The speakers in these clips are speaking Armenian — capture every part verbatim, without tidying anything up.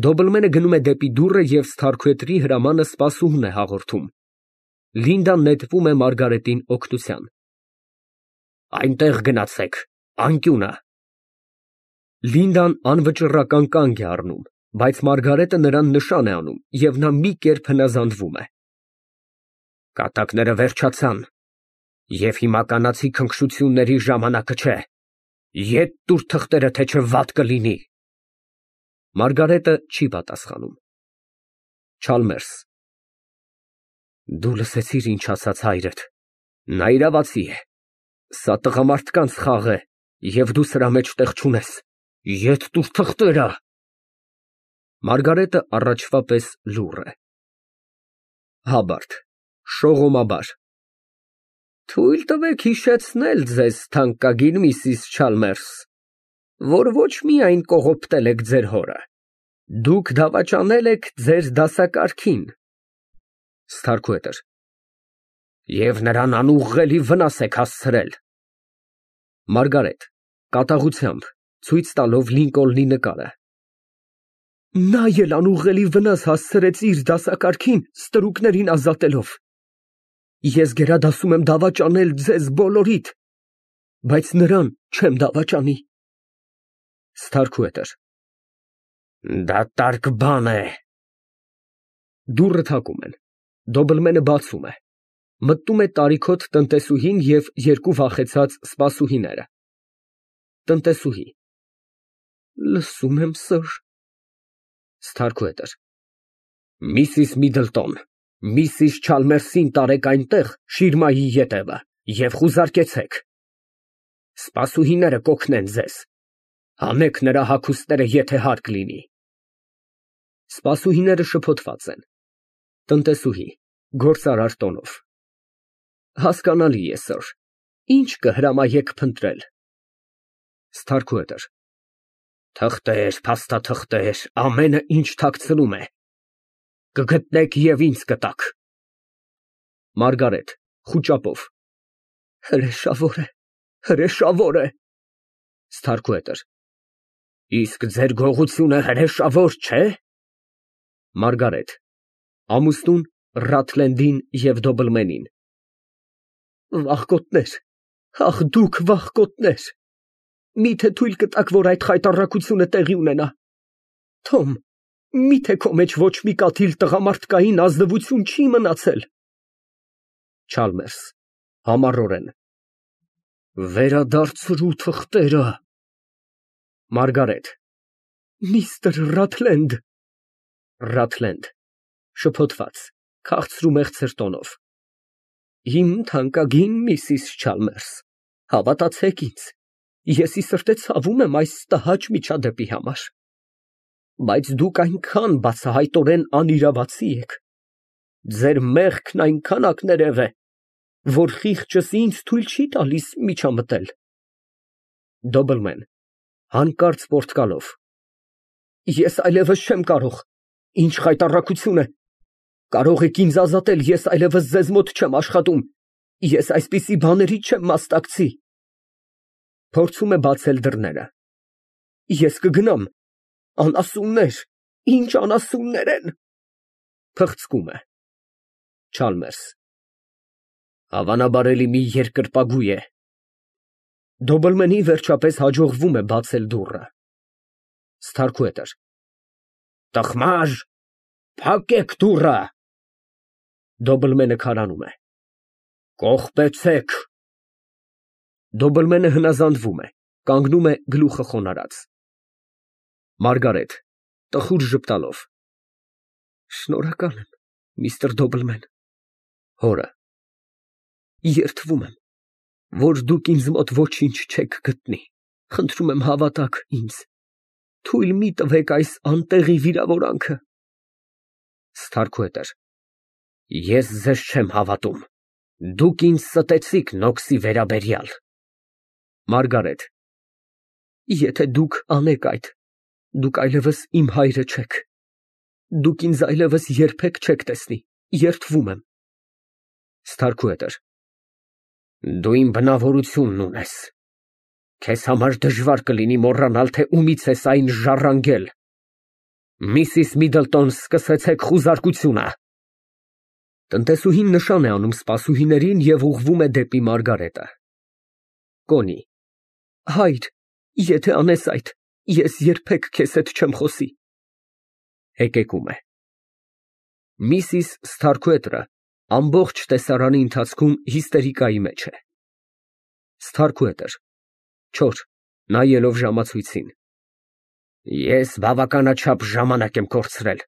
Դոբլմենը գնում է դեպի դուռը և սթարքուհետրի հրամանը սպասուհուն է հաղորդում։ Լինդան նետվում է Մարգարետին օգնության։ Այնտեղ գնացեք, անկյունը։ Լինդան անվճռական կանգ է առնում, բայց Մարգարետը նրան նշան է անում, և նա մի կերպ հնազանդվում է։ Կատակները վերջացան, և հիմա կանացի քնքշությունների ժամանակը չէ, ետ տուր թղթերը, թե չէ վատ կլինի։ Մարգարետը չի պատասխանում։ Չալմերս։ Դու լսեցի՞ր, ինչ ասաց հայրդ, նա իրավացի է, սա տղամարդկանց խաղ է, և դու սրա մեջ տեղ չունես, ետ տուր թղթերը։ Մարգարետը առաջվա պես լուռ է։ Հաբարդ, շողոմաբար։ Թույլ տվեք հիշեցնել ձեզ, թանկագին միսիս Չալմերս, որ ոչ միայն կողոպտել եք ձեր հորը, դուք դավաճանել եք ձեր դասակարգին։ Սթարքուհետր. Եվ նրան անուղղելի վնաս եք հասցրել։ Մարգարետ (կատաղությամբ, ցույց տալով Լինկոլնի նկարը) Նա էլ անուղղելի վնաս հասցրեց իր դասակարգին, ստրուկներին ազատելով։ Ես գերադասում եմ դավաճանել ձեզ բոլորիդ, բայց նրան չեմ դավաճանի։ Սթարքուհետր. Դատարկ բան է։ Դուռը թակում են, Դոբլմենը բացում է, մտնում է տարիքոտ տնտեսուհին և երկու վախեցած սպասուհիները։ Տնտեսուհի. Լսում եմ, սըր։ Սթարքուհետր. Միսիս Միդլտոն, միսիս Չալմերսին տարեք այնտեղ, շիրմայի ետևը, և խուզարկեցեք։ Սպասուհիները կօգնեն ձեզ, հանեք նրա հագուստները, եթե հարկ լինի։ Սպասուհիները շփոթված են։ Տնտեսուհի (գործարար տոնով) Հասկանալի է, սըր, ինչ կհրամայեք փնտրել։ Սթարքուհետր. Թղթեր, փաստաթղթեր, ամենը, ինչ թաքցնում է, կգտնեք և ինձ կտաք։ Մարգարետ (խուճապով) Հրեշավոր է, հրեշավոր է։ Սթարքուհետր. Իսկ ձեր գողությունը հրեշավոր չէ՞։ Մարգարետ (Ամուսնուն, Ռաթլենդին և Դոբլմենին) Վախկոտներ, ախ, դուք վախկոտներ, միթե թույլ կտաք, որ այդ խայտառակությունը տեղի ունենա։ Թոմ, միթե քո մեջ ոչ մի կաթիլ տղամարդկային ազնվություն չի մնացել։ Չալմերս (համառորեն) Վերադարձրու թղթերը։ Մարգարետ Միստր Ռաթլենդ։ Ռաթլենդ (շփոթված, քաղցրու մեղցր տոնով) Իմ թանկագին միսիս Չալմերս, հավատացեք ինձ, ես ի սրտե ցավում եմ այս տհաճ միջադեպի համար, բայց դուք այնքան բացահայտորեն անիրավացի եք, ձեր մեղքն այնքան ակներև է, որ խիղճս ինձ թույլ չի տալիս միջամտել։ Դոբլմեն (հանկարծ պոռթկալով) Ես այլևս չեմ կարող, ինչ խայտառակություն է, կարող եք ինձ ազատել, ես այլևս ձեզ մոտ չեմ աշխատում, ես այսպիսի բաների չեմ մասնակցի։ (Փորձում է բացել դռները) Ես կգնամ, անասուններ, ինչ անասուններ են։ (Փղցկում է)։ Չալմերս Հավանաբար էլի մի երկրպագու է։ Դոբլմենին վերջապես հաջողվում է բացել դուռը։ Սթարքուհետր Տխմար, փակեք դուռը։ Դոբլմենը քարանում է։ Կողպեցեք։ Դոբլմենը հնազանդվում է, կանգնում է գլուխը խոնարհած։ Մարգարետ (տխուր ժպտալով) Շնորհակալ եմ, միստր Դոբլմեն։ (Հորը) Երդվում եմ, որ դուք ինձ մոտ ոչինչ չեք գտնի, խնդրում եմ հավատաք ինձ, թույլ մի տվեք այս անտեղի վիրավորանքը։ Սթարքուհետր Ես ձեզ չեմ հավատում, դուք ինձ ստեցիք Նոքսի վերաբերյալ։ Մարգարետ Եթե դուք անեք այդ, դուք այլևս իմ հայրը չեք, դուք ինձ այլևս երբեք չեք տեսնի, երդվում եմ։ Սթարքուհետր Դու իմ բնավորությունն ունես, քեզ համար դժվար կլինի մոռանալ, թե ումից ես այն ժառանգել։ Միսիս Միդլտոն, սկսեցեք խուզարկությունը։ Տնտեսուհին նշան է անում սպասուհիներին և ուղղվում է դեպի Մարգարետը։ Կոնի։ Հայր, եթե անես այդ, ես երբեք քեզ հետ չեմ խոսի։ Հեկեկում է։ Միսիս Սթարքուետրը ամբողջ տեսարանի ընթացքում հիստերիկայի մեջ է։ Սթարքուետր չոր, նայելով ժամացույցին։ Ես բավականաչափ ժամանակ եմ կորցրել,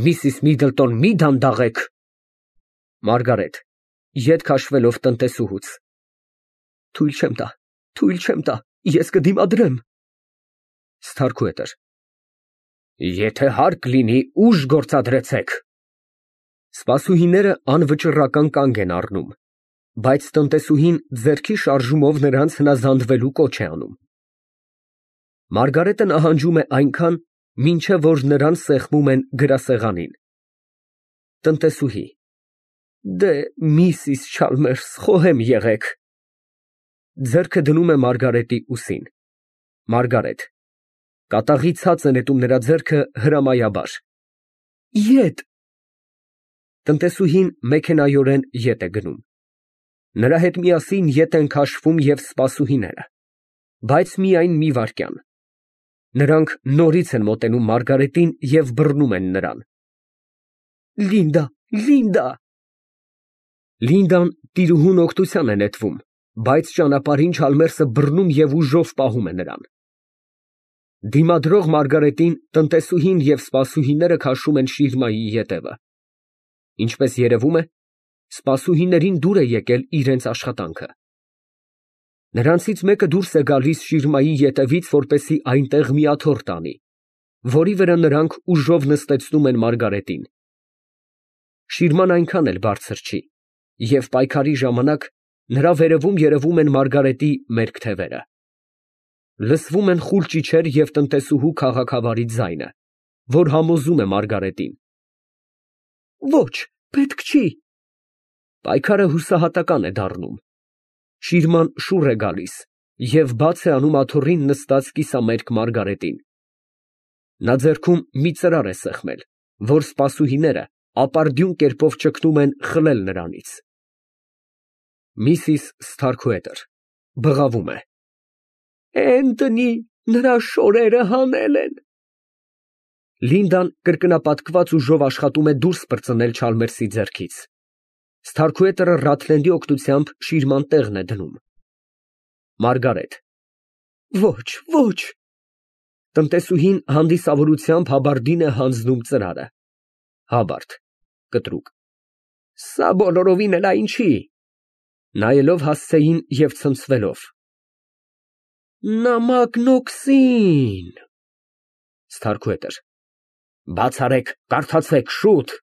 Միսիս Միդլտոն, մի դանդաղեք։ Մարգարետ ետ քաշվելով տնտեսուհուց։ Թույլ չեմ տա, թույլ չեմ տա, ես կդիմադրեմ։ Սթարքուետր Եթե հարկ լինի, ուժ գործադրեցեք։ Սպասուհիները անվճռական կանգ են առնում, բայց տնտեսուհին ձեռքի շարժումով նրանց հնազանդվելու կոչ է անում։ Մարգարետը նահանջում է այնքան, մինչև որ նրան սեղմում են գրասեղանին։ Տնտեսուհի Դե, Միսիս Չալմերս, խոհեմ եղեք։ Ձեռքը դնում է Մարգարետի ուսին։ Մարգարետ կատաղի ցած է նետում նրա ձեռքը հրամայաբար։ Ետ։ Տնտեսուհին մեքենայորեն ետ է գնում։ Նրա հետ միասին ետ են քաշվում և սպասուհիները, բայց միայն մի վայրկյան։ Նրանք նորից են մոտենում Մարգարետին և բռնում են նրան։ Լինդա, Լինդա։ Լինդան տիրուհուն օգնության է նետվում, բայց ճանապարհին Չալմերսը բռնում և ուժով պահում է նրան։ Դիմադրող Մարգարետին տնտեսուհին և սպասուհիները քաշում են շիրմայի ետևը։ Ինչպես երևում է, սպասուհիներին դուր է եկել իրենց աշխատանքը։ Նրանցից մեկը դուրս է գալիս շիրմայի ետևից, որպեսզի այնտեղ մի աթոռ տանի, որի վրա նրանք ուժով նստեցնում են Մարգարետին։ Շիրման այնքան էլ բարձր չի, և պայքարի ժամանակ նրա վերևում երևում են Մարգարետի մերկ թևերը։ Լսվում են խուլ ճիչեր և տնտեսուհու քաղաքավարի ձայնը, որ համոզում է Մարգարետին։ Ոչ, պետք չի։ Պայքարը հուսահատական է դառնում։ Շիրման շուռ է գալիս և բաց է անում աթոռին նստած կիսամերկ Մարգարետին։ Նա ձեռքում մի ծրար է սեղմել, որ սպասուհիները ապարդյուն կերպով ճգնում են խլել նրանից։ Միսիս Սթարքուետր բղավում է։ Էնթոնի, նրա շորերը հանել են։ Լինդան կրկնապատկված ուժով աշխատում է դուրս պրծնել Չալմերսի ձեռքից։ Սթարքուետերը Ռաթլենդի օգնությամբ շիրման տեղն է դնում։ Մարգարետ Ոչ, ոչ։ Տնտեսուհին հանդիսավորությամբ հաբարդին է հանձնում ծրարը։ Հաբարդ կտրուկ Սա բոլորովին էլ այն չի։ Նայելով հասցեին և ցնցվելով։ Նամակն օքսին։ Սթարքուետր Բաց արեք, կարդացեք, շուտ։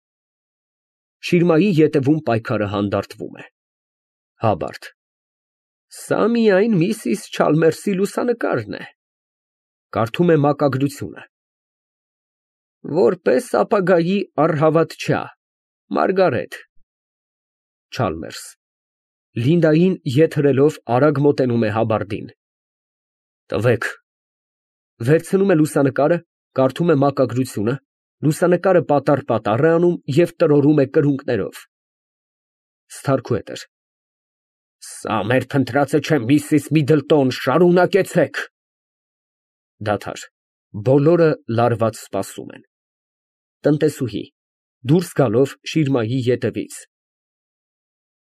Շիրմայի ետևում պայքարը հանդարտվում է։ Հաբարդ Սա միայն Միսիս Չալմերսի լուսանկարն է։ Կարդում է մակագրությունը։ Որպես ապագայի առհավատչա, Մարգարետ։ Չալմերս Լինդային ետ հրելով արագ մոտենում է հաբարդին։ Տվեք։ Վերցնում է լուսանկարը, կարդում է մակագրությունը, լուսանկարը պատառ֊պատառ է անում և տրորում է կրունկներով։ Սթարքուետր Սա մեր փնտրածը չէ, Միսիս Միդլտոն, շարունակեցեք։ Դադար, բոլորը լարված սպասում են։ Տնտեսուհի դուրս գալով շիրմայի ետևից։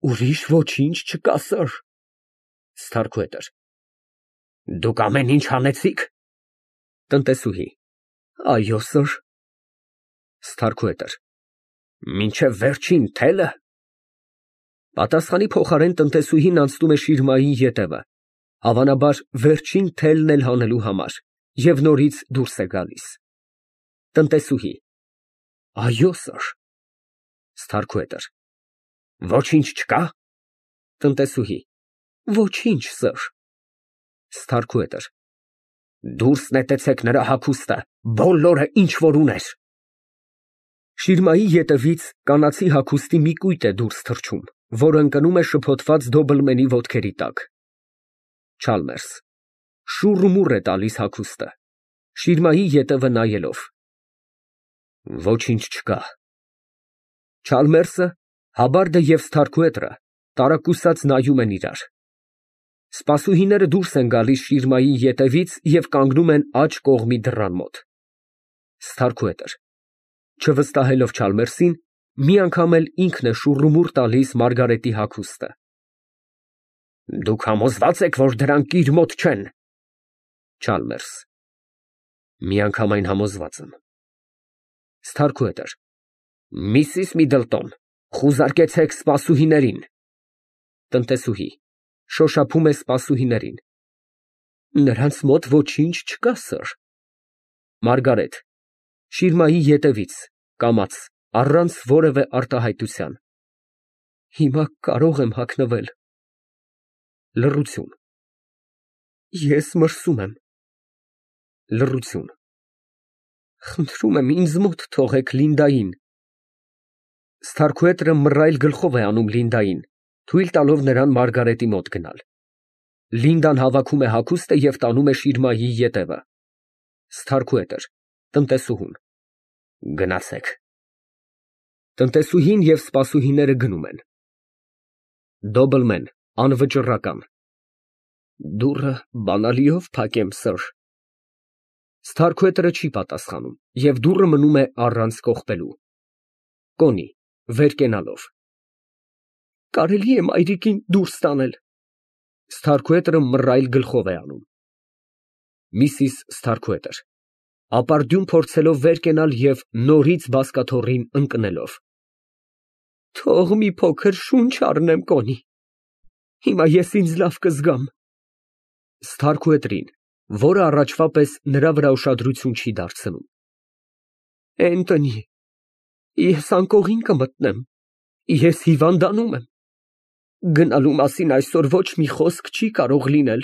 Ուրիշ ոչինչ չկա, սըր։ Սթարքուետր Դուք ամեն ինչ հանեցիք։ Տնտեսուհի Այո, սըր։ Սթարքուետր Մինչև վերջին թելը։ Պատասխանի փոխարեն տնտեսուհին անցնում է շիրմայի ետևը, հավանաբար վերջին թելն էլ հանելու համար, և նորից դուրս է գալիս։ Տնտեսուհի Այո, սըր։ Սթարքուետր Ոչինչ չկա։ Տնտեսուհի Ոչինչ, սըր։ Սթարքուետր Դուրս նետեցեք նրա հագուստը, բոլորը, ինչ որ ուներ։ Շիրմայի ետևից կանացի հագուստի մի կույտ է դուրս թռչում, որ ընկնում է շփոթված դոբլմենի ոտքերի տակ։ Չալմերս շուռ ու մուռ է տալիս հագուստը, շիրմայի ետևը նայելով։ Ոչինչ չկա։ Չալմերսը, Հաբարդը և Սթարքուետրը տարակուսած նայում են իրար։ Սպասուհիները դուրս են գալիս շիրմայի ետևից և կանգնում են աջ կողմի դռան մոտ։ Սթարքուետր (չվստահելով Չալմերսին, մի անգամ էլ ինքն է շուռումուռ տալիս Մարգարետի հագուստը)։ Դուք համոզվա՞ծ եք, որ դրանք իր մոտ չեն։ Չալմերս. Միանգամայն համոզված եմ։ Սթարքուետր. Միսիս Միդլտոն, խուզարկեցեք սպասուհիներին։ Տնտեսուհի շոշափում է սպասուհիներին։ Նրանց մոտ ոչինչ չկա, սըր։ Մարգարետ շիրմայի ետևից, կամաց, առանց որևէ արտահայտության։ Հիմա կարող եմ հագնվել։ Լռություն։ Ես մրսում եմ։ Լռություն։ Խնդրում եմ, ինձ մոտ թողեք Լինդային։ Սթարքուետրը մռայլ գլխով է անում Լինդային, թույլ տալով նրան Մարգարետի մոտ գնալ։ Լինդան հավաքում է հագուստը և տանում է շիրմայի ետևը։ Սթարքուետր տնտեսուհուն. Գնացեք։ Տնտեսուհին և սպասուհիները գնում են։ Դոբլմեն անվճռական. Դուռը բանալիով փակեմ, սըր։ Սթարքուետրը չի պատասխանում և դուռը մնում է առանց կողպելու։ Կոնի վեր կենալով. Կարելի է մայրիկին դուրս տանել։ Սթարքուետրը մռայլ գլխով է անում։ Միսիս Սթարքուետր (ապարդյուն փորձելով վեր կենալ և նորից բազկաթոռին ընկնելով) Թող մի փոքր շունչ առնեմ, Կոնի, հիմա ես ինձ լավ կզգամ։ Սթարքուետրին, որը առաջվա պես նրա վրա ուշադրություն չի դարձնում) Էնթոնի, ես անկողին կմտնեմ, ես հիվանդանում եմ, գնալու մասին այսօր ոչ մի խոսք չի կարող լինել։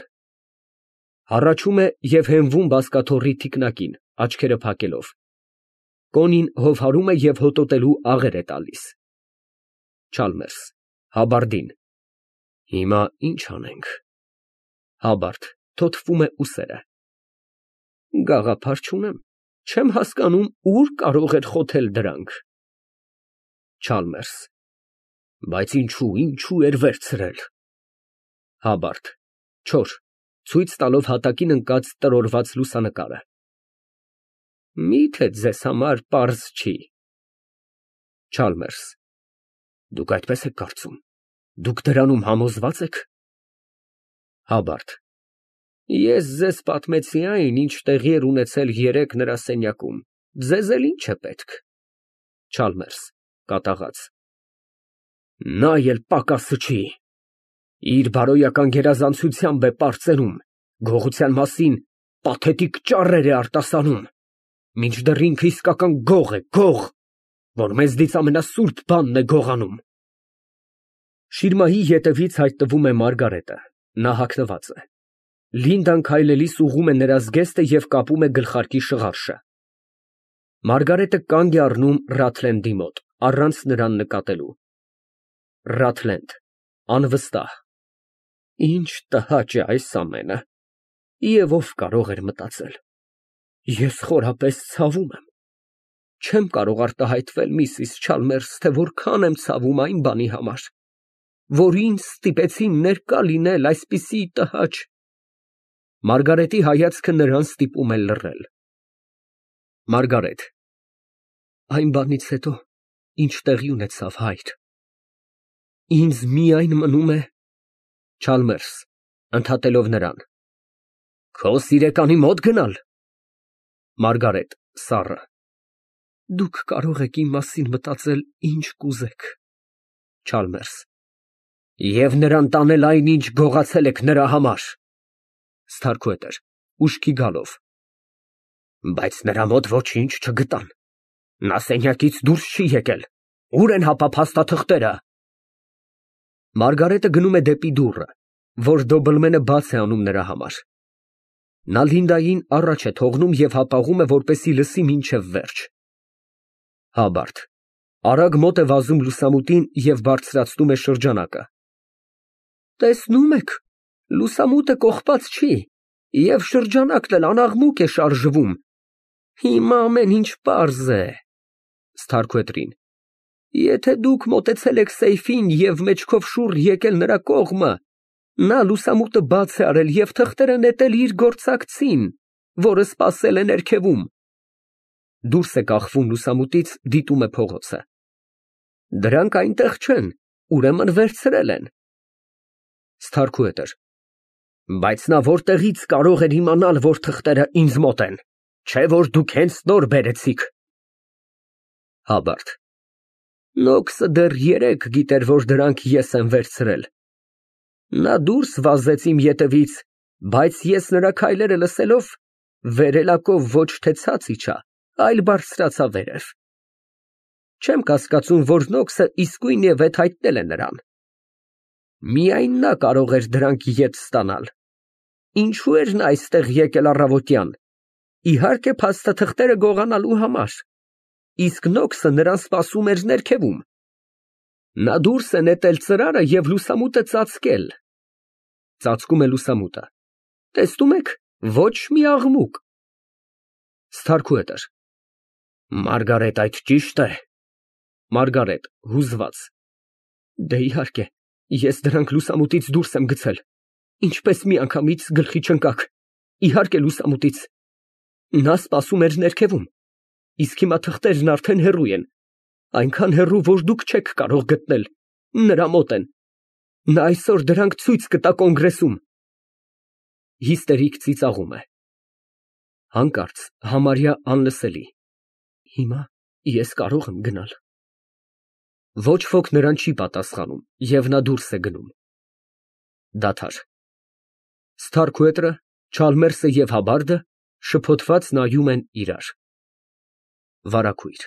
Հառաչում է և հենվում բազկաթոռի թիկնակին, աչքերը փակելով։ Կոնին հովհարում է և հոտոտելու աղեր է տալիս։ Չալմերս Հաբարդին. Հիմա ի՞նչ անենք։ Հաբարդ թոթվում է ուսերը։ Գաղափար չունեմ, չեմ հասկանում, ուր կարող էր խոթել դրանք։ Չալմերս. Բայց ինչո՞ւ, ինչո՞ւ էր վերցրել։ Հաբարդ չոր (ցույց տալով հատակին ընկած տրորված լուսանկարը) Մի՞թե ձեզ համար պարզ չի։ Չալմերս. Դուք այդպես եք կարծում, դուք դրանում համոզվա՞ծ եք։ Հաբարդ. Ես ձեզ պատմեցի այն, ինչ տեղի էր ունեցել երեկ նրա սենյակում, ձեզ էլ ի՞նչ է պետք։ Չալմերս կատաղած. Նա էլ պակասը չի։ Իր բարոյական գերազանցությամբ է պարծենում, գողության մասին պաթետիկ ճառեր է արտասանում, մինչդեռ ինքը իսկական գող է, գող, որ մեզնից ամենասուրբ բանն է գողանում։ Շիրմայի ետևից հայտնվում է Մարգարետը, նա հագնված է։ Լինդան քայլելիս ուղղում է նրա զգեստը և կապում է գլխարկի շղարշը։ Մարգարետը կանգ է առնում Ռաթլենդի մոտ, առանց նրան նկատելու։ Ռաթլենդ անվստահ. Ինչ տհաճ է այս ամենը, և ով կարող էր մտածել։ Ես խորապես ցավում եմ։ Չեմ կարող արտահայտվել, միսիս Չալմերս, թե որքան եմ ցավում այն բանի համար, որ ինձ ստիպեցին ներկա լինել այսպիսի տհաճ… Մարգարետի հայացքը նրան ստիպում է լռել։ Մարգարետ Այն բանից հետո, ինչ տեղի ունեցավ, հայր, ինձ միայն մնում է… Չալմերս (ընդհատելով նրան) Քո սիրեկանի մոտ գնալ։ Մարգարետ սառը. Դուք կարող եք իմ մասին մտածել ինչ կուզեք։ Չալմերս Եվ նրան տանել այն, ինչ գողացել եք նրա համար։ Սթարքուետր (ուշքի գալով) Բայց նրա մոտ ոչինչ չգտան, նա սենյակից դուրս չի եկել, ուր են հապա փաստաթղթերը։ Մարգարետը գնում է դեպի դուռը, որ Դոբլմենը բաց է անում նրա համար։ Նա Լինդային առաջ է թողնում և հապաղում է, որպեսզի լսի մինչև վերջ։ Հաբարդ արագ մոտ է վազում լուսամուտին և բարձրացնում է շրջանակը։ Տեսնում եք, լուսամուտը կողպած չի, և շրջանակն էլ անաղմուկ է շարժվում։ Հիմա ամեն ինչ պարզ է։ Սթարքուետրին։ Եթե դուք մոտեցել եք սեյֆին և մեջքով շուռ եկել նրա կողմը, նա լուսամուտը բաց է արել և թղթերը նետել իր գործակցին, որը սպասել է ներքևում։ (Դուրս է կախվում լուսամուտից, դիտում է փողոցը) Դրանք այնտեղ չեն, ուրեմն վերցրել են։ Սթարքուետր. Բայց նա որտեղի՞ց կարող էր իմանալ, որ թղթերը ինձ մոտ են, չէ՞ որ դուք հենց նոր բերեցիք։ (Հաբարդ) Նոքսը դեռ երեկ գիտեր, որ դրանք ես եմ վերցրել։ Նա դուրս վազեց իմ ետևից, բայց ես նրա քայլերը լսելով, վերելակով ոչ թե ցած իջա, այլ բարձրացա վերև։ Չեմ կասկածում, որ Նոքսը իսկույնևեթ հայտնել է նրան։ Միայն նա կարող էր դրանք ետ ստանալ։ Ինչո՞ւ էր նա այստեղ եկել առավոտյան։ Իհարկե, փաստաթղթերը գողանալու համար, իսկ Նոքսը նրան սպասում էր ներքևում։ Նա դուրս է նետել ծրարը և լուսամուտը ծածկել։ (Ծածկում է լուսամուտը) Տեսնում եք, ոչ մի աղմուկ։ Սթարքուետր. Մարգարետ, այդ ճի՞շտ է։ (Մարգարետ, հուզված) Դե, իհարկե, ես դրանք լուսամուտից դուրս եմ գցել, ինչպես միանգամից գլխի չընկաք, իհարկե, լուսամուտից։ Նա սպասում էր ներքևում, իսկ հիմա թղթերն արդեն հեռու են, այնքան հեռու, որ դուք չեք կարող գտնել, նրա մոտ են։ Նա այսօր դրանք ցույց կտա կոնգրեսում։ (Հիստերիկ ծիծաղում է)։ Հանկարծ համարյա անլսելի։ Հիմա ես կարող եմ գնալ։ Ոչ ոք նրան չի պատասխանում, և նա դուրս է գնում։ (Դադար) Սթարքուետրը, Չալմերսը և Հաբարդը շփոթված նայում են իրար։ Վարագույր։